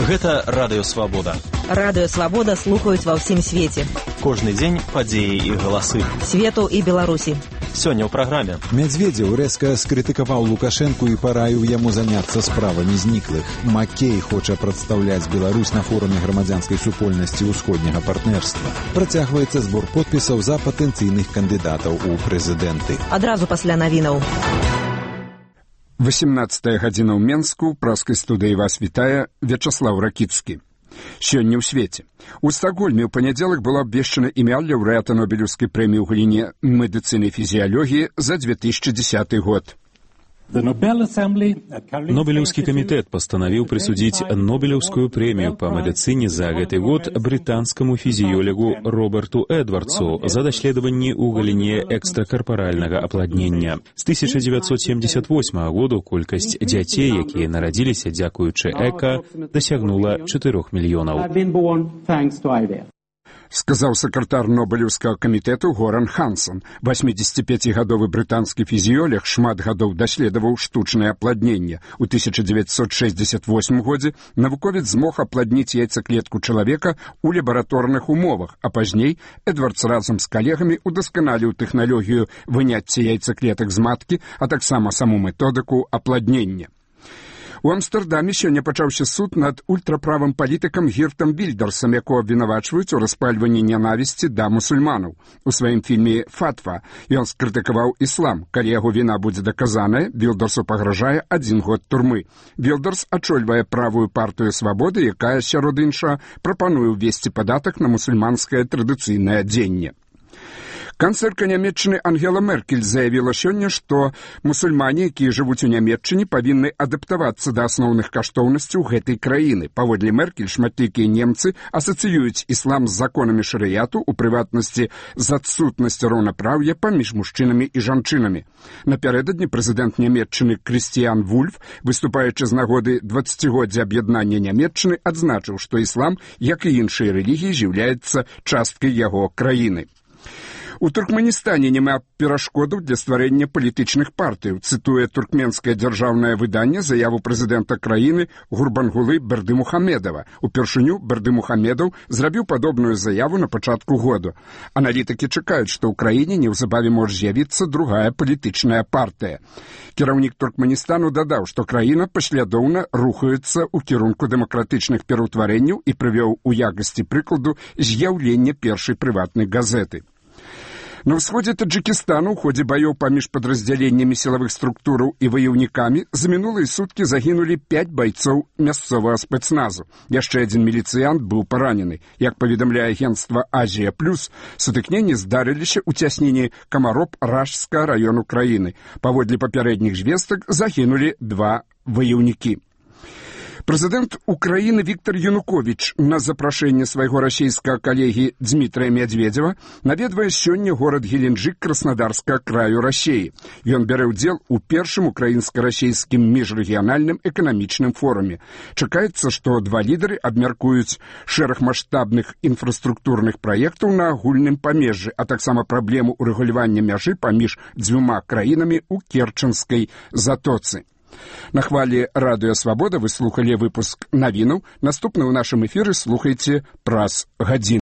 Гэта Радыё Свабода. Радыё Свабода слухаюць ва ўсім свеце. Кожны дзень падзеі і галасы. Свету і Беларусі. Сёння ў праграме. Медведзеў рэзка скрытыкаваў Лукашэнку і параіў яму заняцца справамі зніклых. Маккей хоча прадстаўляць Беларусь на форуме грамадзянскай супольнасці ўсходняга партнерства. Працягваецца збор подпісаў за патэнцыйных кандыдатаў у прэзідэнты. Адразу пасля навінаў. 18 гадзіна ў Менску, праскай студыі вас вітае Вячаслаў Ракіцкі. Сёння ў свеце. У Стакгольме ў панядзелак было абвешчана імя лаўрэата Нобелеўскай прэміі ў галіне медыцыны і фізіялогіі за 2010 год. Нобелеўскі камітэт пастанавіў прысудзіць Нобелеўскую прэмію па медыцыне за гэты год брытанскаму фізіёлегу Роберту Эдвардсу за даследаванні ў галіне экстракарпаральнага апладнення. З 1978 году колькасць дзяцей, якія нарадзіліся дзякуючы эка, дасягнула 4 мільёнаў. Сказаў сакратар Нобелеўскага камітэту Горан Хансон. 85-гадовы брытанскі фізіёлег шмат гадоў даследаваў штучнае апладненне. У 1968 годзе навуковец змог апладніць яйцаклетку чалавека ў лабараторных умовах, а пазней Эдвардс разам з калегамі удасканаліў тэхналогію выняцця яйцаклетак з маткі, а таксама саму методыку апладнення. У Амстэрдаме сёння пачаўся суд над ультраправым палітыкам Гіртам Вільдерсам, якого абвінавачваюць у распальванні нянавісці да мусульманаў. У сваім фільме «Фатва» ён скрытыкаваў іслам. Калі яго віна будзе даказаная, Вільдерсу пагражае 1 год турмы. Вільдерс ачольвае правую партыю «Свабоды», якая, сярод іншага, прапануе ўвесці падатак на мусульманскае традыцыйнае адзенне. Канцлерка Нямецчыны Ангела Меркель заявіла сёння, што мусульмане, якія жывуць у Нямецчыне, павінны адаптавацца да асноўных каштоўнасцяў гэтай краіны. Паводле Меркель, шматлікія немцы асацыююць іслам з законамі шарыяту, у прыватнасці з адсутнасцю роўнапраўя паміж мужчынамі і жанчынамі. Напярэдадні прэзідэнт Нямецчыны Крыстіян Вульф, выступаючы з нагоды 20-годдзя аб'яднання Нямецчыны, адзначыў, што іслам, як і іншыя рэлігіі, з'яўляецца часткай яго краіны. У Туркменістане няма перашкодаў для стварэння палітычных партый. Цытуе туркменскае дзяржаўнае выданне заяву прэзідэнта краіны Гурбангулы Бердымухамедова. Упершыню Бердымухамедов зрабіў падобную заяву на пачатку году. Аналітыкі чакаюць, што ў краіне неўзабаве можа з'явіцца другая палітычная партыя. Кіраўнік Туркменістану дадаў, што краіна паслядоўна рухаецца ў кірунку дэмакратычных пераўтварэнняў і прывёў у якасці прыкладу з'яўлення першай прыватнай газеты. На ўсходзе Таджыкістану ў ходзе баёў паміж падраздзяленнямі сілавых структураў і ваяўнікамі за минулыя суткі загінулі 5 байцоў мясцовага спецназу. Яшчэ 1 міліцыянт быў паранены. Як паведамляе агенцтва «Азія Плюс», сутыкненні здарыліся ў цясніне Камароб-Ражскага раёну краіны. Паводле папярэдніх звестак загінулі 2 ваяўнікі. Прэзідэнт Украіны Віктор Януковіч на запрашэнне свайго расійскага калегі Дмітрыя Медведзева наведвае сёння горад Геленджик Краснодарскага краю Расіі. Ён бярэ ўдзел у першым украінска-расійскім міжрэгіянальным эканамічным форуме. Чакаецца, што 2 лідары абмяркуюць шэраг маштабных інфраструктурных праектаў на агульным памежжы, а таксама праблему урэгулявання мяжы паміж 2 краінамі ў Керченскай затоцы. На хвалі Радыё Свабода вы слухалі выпуск навінаў. Наступны ў нашым эфіры слухайце праз гадзіну.